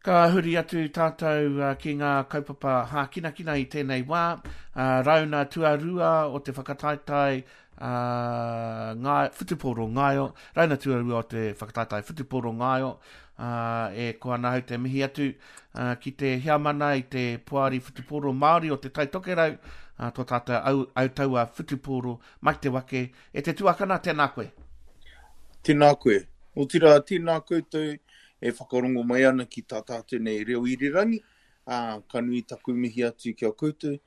Ka huri atu tātou ki ngā kaupapa hākinakina i tēnei wā. Rauna tuarua o te whakataetae ngā whutupōro ngaio, rauna tuarua o te whakataetae whutupōro ngaio, e koa ana ahau te mihi atu ki te heamana i te Poari Whutupōro Māori o Te Tai Tokerau, tō tātou au, autaua whutupōro, Mike Te Wake, e te tuakana, tēnā koe. Tēnā koe. Otirā, tēnā koutou e whakarongo mai ana ki tā tātou nei reo irirangi, ā, ka nui taku mihi atu ki a koutou.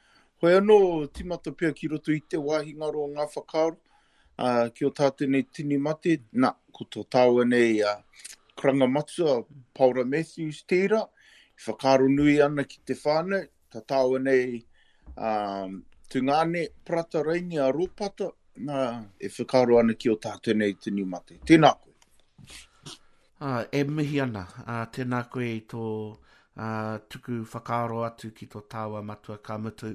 Hoi anō, tīmata pea ki roto i te wāhi ngaro o ngā whakaaro, ā, ki o tātou nei tini mate, nā, ko tō tāua nei a karanga matua, Paora Matthews tērā, e whakaaro nui ana ki te whānau, tā tāua nei ā, tungāne, Parata Raini a Rōpata, nā, e whakaaro ana ki o tātou nei tini mate. Tēnā koe. Ā, e mihi ana, ā, tēnā koe i tō, ā, tuku whakaaro atu ki tō tāua matua, ka mutu,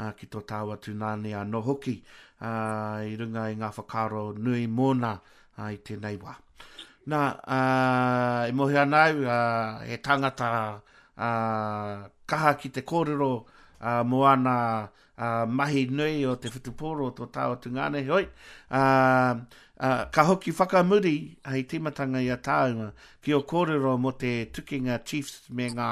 ā, ki tō tāua tūnāne anō hoki, ā, i runga i ngā whakaaro nui mōna, ā, i tēnei wā. Nā, ā, e mōhio ana au, ā, he tangata, ā, kaha ki te kōrero, ā, mō ana, ā, mahi nui o te whutupōro o tō tāua tungāne, heoi, ā, ā, ka hoki whakamuri hei tīmatanga i a tāua ki ō kōrero mō te tukinga Chiefs me ngā,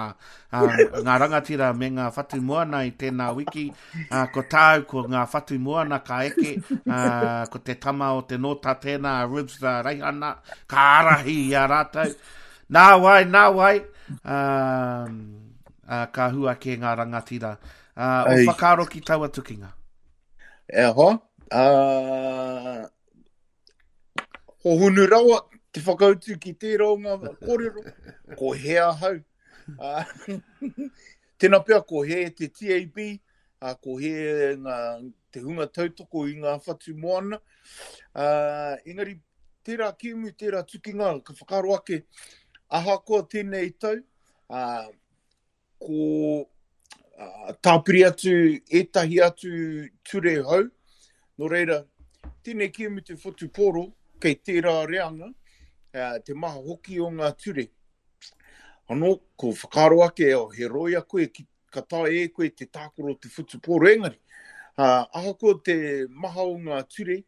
ā, ngā rangatira me ngā whatu moana i tēnā wiki, ā, ko tāu, ko ngā whatu moana ka eke, ā, ko te tama o te nōta tēnā, a Ribs Reihana, ka ārahi i a rātou. Nā wai, nā wai, ā, ā, ka hua kē ngā rangatira. Uh, o whakaaro ki taua tukinga? E hoa, uh, hohunu rawa te whakautu ki tērā o ngā kōrero, ko he ahau. Uh, tēnā pea ko he te TAB, uh, ko he ngā, te hunga tautoko i ngā whatu moana. Uh, engari, tērā kēmu, tērā tukinga, ka whakaaro ake, ahakoa tēnei tau, uh, ko tāpiri atu ētahi atu ture hou. Nō reira, tēnei kēmu te whutupōro, kei tērā reanga, te maha hoki o ngā ture. Anō, ko whakaaro ake, oh, he roia koe, ki, ka taea e koe te tākaro te whutupōro, engari, uh, ahakoa te maha o ngā ture,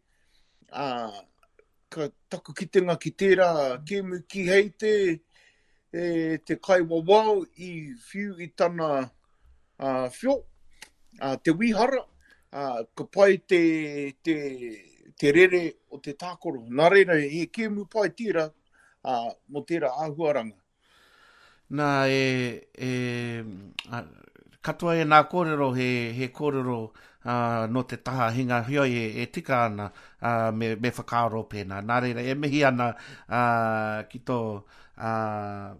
uh, ka taku kitenga ki tērā kēmu kihei te, e, te kaiwawao i whiu i tana uh, whio, uh, te wihara, uh, ka pai te, te, te rere o te tākaro. Nā reira, he kēmu pai tērā uh, mō tērā āhuaranga. Nā, e, e, a, katoa ēnā kōrero he, he kōrero uh, nō te taha hinga heoi e, e tika ana uh, me, me whakaaro pēnā. Nā reira, e mihi ana uh, ki tō uh,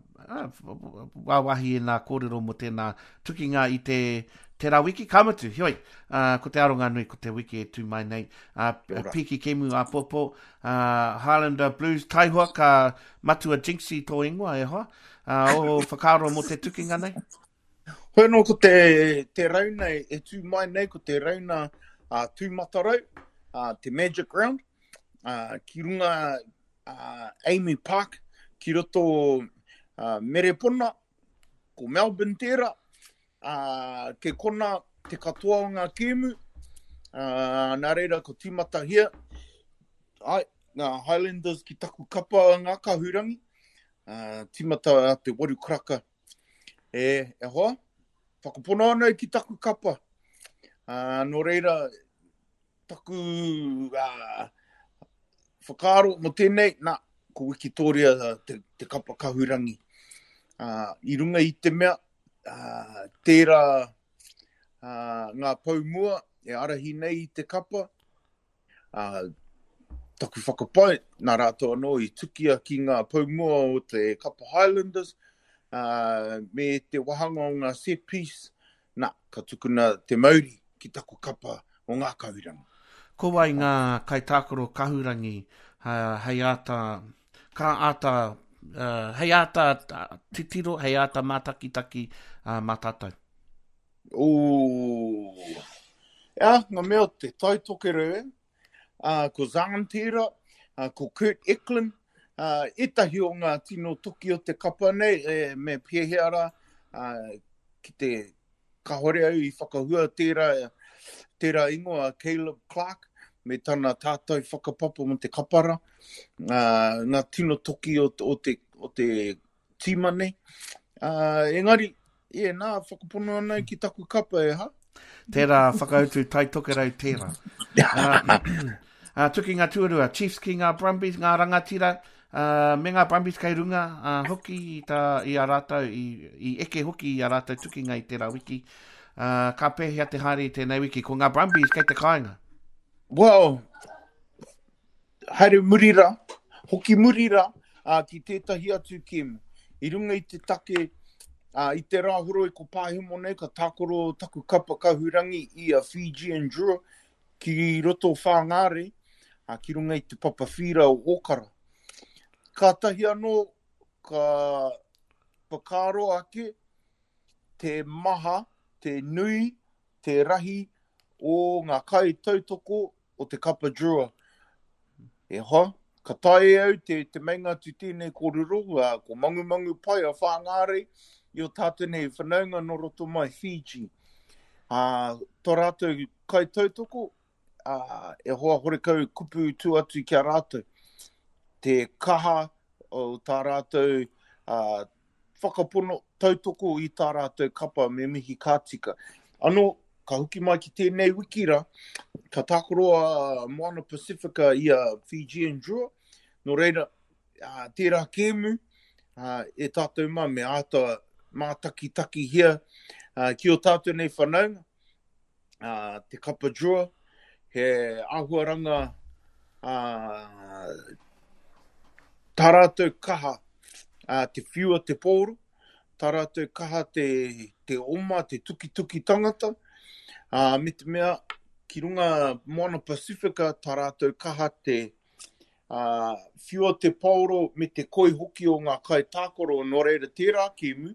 wāwahi ēnā kōrero mō tēnā tukinga i te tērā wiki, ka mutu, heoi, uh, ko te aronga nui ko te wiki e tū mai nei, uh, piki kemu āpōpō, uh, Highlander Blues, taihoa ka Matua Jinxie tō ingoa, e hoa. Uh, o whakaaro mō te tukinga nei? Hoi anō ko te, te rauna e tū mai nei, ko te rauna uh, tūmatarau, uh, te Magic Round, uh, ki runga uh, Amy Park, ki roto uh, Merepona, ko Melbourne tērā, uh, ke kona te katoa o ngā kēmu, uh, nā reira ko tīmatahia, ai, ngā Highlanders ki taku kapa ngā kahurangi, uh, tīmata a te waru karaka. E, e hoa, whakapono ana ki taku kapa. Uh, nō reira, taku uh, whakaaro mo tēnei, nā, ko Wikitoria te, te kapa kahurangi. Uh, I runga i te mea, uh, tērā uh, ngā pou mua e arahi nei i te kapa, uh, taku whakapae, nā rātou anō i tukia ki ngā pou mua o te kapa Highlanders, uh, me te wahanga o ngā set piece, nā, ka tukuna te mauri ki taku kapa o ngā kahurangi. Ko wai ngā kaitākaro kahurangi uh, hei āta, ka āta, uh, hei āta titiro, hei āta mātakitaki uh, mā tātou? Ooh. Ea, ngā mea o te Tai Tokerau, eh? Uh, ko Zahn tērā, uh, ko Kurt Eklund, Uh, ētahi o ngā tino toki o te kapa nei, e, me pēhea rā, uh, ki te kahore au i whakahua tērā, tērā ingoa Caleb Clark, me tana tātai whakapapa mo te kapara, uh, ngā tino toki o, o, te, o te tīma nei. Uh, engari, e, nā, whakapono ana ki taku kapa e ha. Tērā whakautu Tai Tokerau tērā. Uh, uh, tukinga tuarua, Chiefs ki ngā Brumbies, ngā rangatira, uh, me ngā Brumbies kei runga uh, hoki i, tā, i a rātou, i, i eke hoki i a rātou tukinga i tērā wiki. Uh, ka pēhea te haere i tēnei wiki? Ko ngā Brumbies kei te kāinga. Well, haere muri rā, hoki muri rā ā, ki tētahi atu kēmu. I runga i te take, ā, i te Rāhoroi ko Pāhemo nei ka tākaro taku kapa kahurangi i a Fijian Drua ki roto o Whāngārei, ā, ki runga i te papa whīra o Ōkara. Kātahi anō ka whakaaro ake te maha, te nui, te rahi o ngā kaitautoko o te kapa Drua. E hoa, ka taea e au te, te meinga atu tēnei kōrero, uh, ko Mangumangu pai a Whāngārei i o tātou nei whanaunga nō roto mai Fiji. Uh, tō rātou kaitautoko, uh, e hoa horekau kupu tu atu ki a rātou. Te kaha o tā rātou uh, whakapono, tautoko i tā rātou kapa me mihi ka tika. Anō, ka hoki mai ki tēnei wiki rā, ka tākaro a Moana Pasifika i a Fijian Drua, nō reira, ā, tērā kēmu, ā, e tātou mā me āta mātakitakihia ā, ki o tātou nei whanaunga, ā, te kapa Drua, he āhuaranga ā, tā rātou kaha ā, te whiua te pōro, tā rātou kaha te, te oma, te tukituki tangata, ā, me te mea ki runga Moana Pasifika tā rātou kaha te ā, whiua te paoro me te koi hoki o ngā kaitākaro, nō reira tērā kēmu,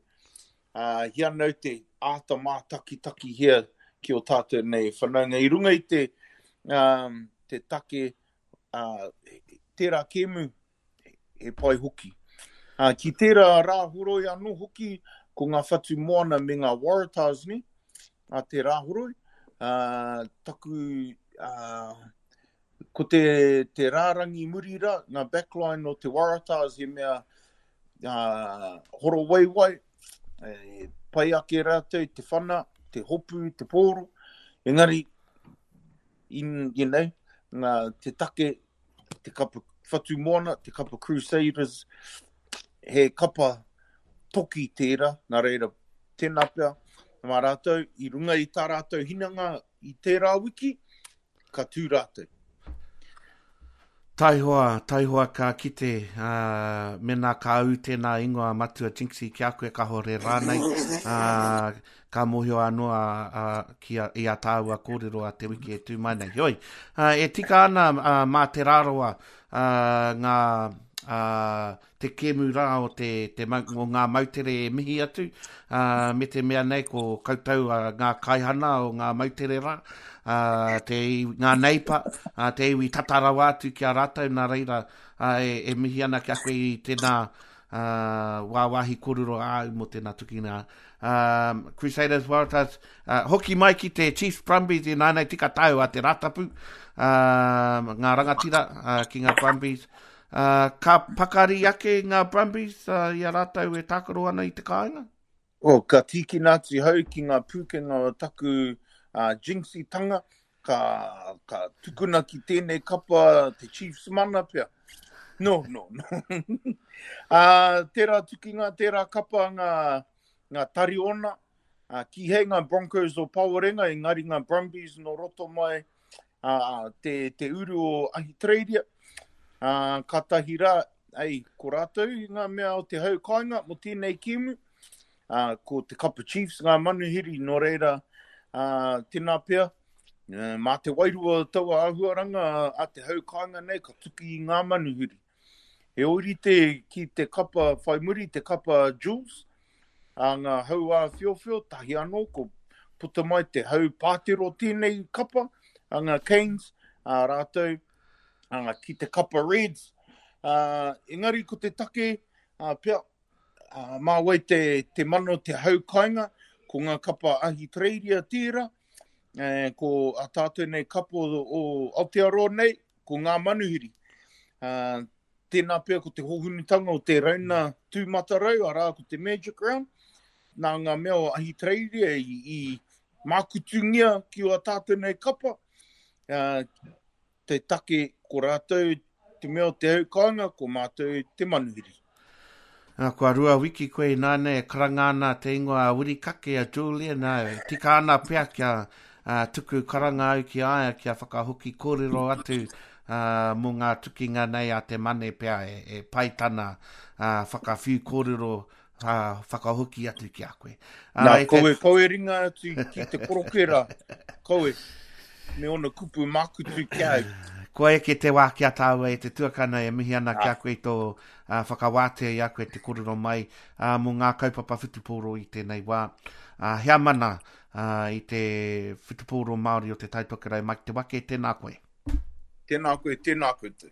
ā, hi anau te āta mātakitakihia ki o tātou nei whanaunga. I runga i te, um, te take, uh, tērā kēmu, he pai hoki. Uh, ki tērā rāhoroi anō hoki, ko ngā whatu moana me ngā Waratahs nei, a te rāhoroi, uh, taku, uh, ko te, te rārangi muri rā, ngā backline o te Waratahs he mea uh, horowaiwai, e, pai ake rātou te whana, te hopu, te pōro, engari, in, you know, ngā, te take, te kapa whatu moana, te kapa Crusaders, he kapa toki tērā, nā reira, tēnā pea, mā rātou, i runga i tā rātou hinanga i tērā wiki, ka tū rātou. Taihoa, taihoa ka kite, ā, mēnā ka ū tēnā ingoa Matua Jinxie ki a koe kahore rānei, ā, ka mōhio anō a, a, ki a, i a tāua kōrero a te wiki e tū mai nei. Heoi, ā, e tika ana ā, mā Te Rarawa ā, ngā, ā, te kēmu rā o te, te mau, o ngā moutere e mihi atu, ā, me te mea nei ko koutou ā, ngā kaihana o ngā moutere rā, ā, te, ngā neipa, ā, te iwi tata rawa atu ki a rātou, nā reira ā, e, e mihi ana ki a koe i tēnā ā, wāwāhi kōrero āu mō tēnā tukina. Um, Crusaders Waratahs, uh, hoki mai ki te Chiefs Brumbies i nānei tika tau a te Rātapu, um, ngā rangatira uh, ki ngā Brumbies. Uh, ka pakari ake ngā Brumbies uh, i a rātou e tākaro ana i te kāinga? Oh, ka tīkina atu hau ki ngā pūkenga o taku uh, jinxie-tanga, ka, ka tukuna ki tēnei kapa te Chiefs mana pea. No, no, no. uh, tērā tukinga, tērā kapa ngā, ngā tariona, uh, kīhei ngā Broncos o Pawarenga, engari ngā Brumbies no roto mai uh, te, te uru o Ahitereiria. Uh, kātahi rā, ei, ko rātou i ngā mea o te hau kāinga mo tēnei kēmu, uh, ko te Kapa Chiefs ngā manuhiri, nō reira, uh, tēnā pea, uh, mā te wairua o taua āhuaranga a te hau kāinga nei ka tuki i ngā manuhiri. He ōrite ki te kapa whai muri, te kapa Jules, a ngā hau āwhiowhio, tahi anō ko puta mai te hau pātero tēnei kapa, a ngā Canes, a rātou, a, ki te kapa Reds. Uh, engari ko te take, uh, pea, uh, mā wai te, te mana o te hau kainga, ko ngā kapa Ahitereiria tērā, eh, ko a tātou nei kapa o, o Aotearoa nei, ko ngā manuhiri. Uh, tēnā pea ko te hohunutanga o te rauna tūmatarau, arā ko te Magic Round, nā ngā mea o Ahitereiria i, i mākutungia ki o tātou nei kapa, uh, te take ko rātou te mea o te hau kāinga, ko mātou te manuhiri. Kua rua wiki koe ināianei e karanga ana te ingoa a Wirikake, a Julian, e tika ana pea kia uh, tuku karanga au ki a ia kia whakahoki kōrero atu uh, mō ngā tukinga nei a te mane pea e, e pai tana uh, whakawhiu kōrero uh, whakahoki atu ki a koe. Uh, Nā, kaue, te... kaue ringa atu ki te koroke rā, kaue, me ona kupu mākutu ki a au. Kua eke te wā ki a tāua e te tuakana e mihi ana ki a koe i tō ā, whakawātea i a koe te kōrero mai ā, mō ngā kaupapa whutupōro i tēnei wā. Ā, heamana ā, i te whutupōro Māori o Te Tai Tokerau, Mike Te Wake, tēnā koe. Tēnā koe, tēnā koutou.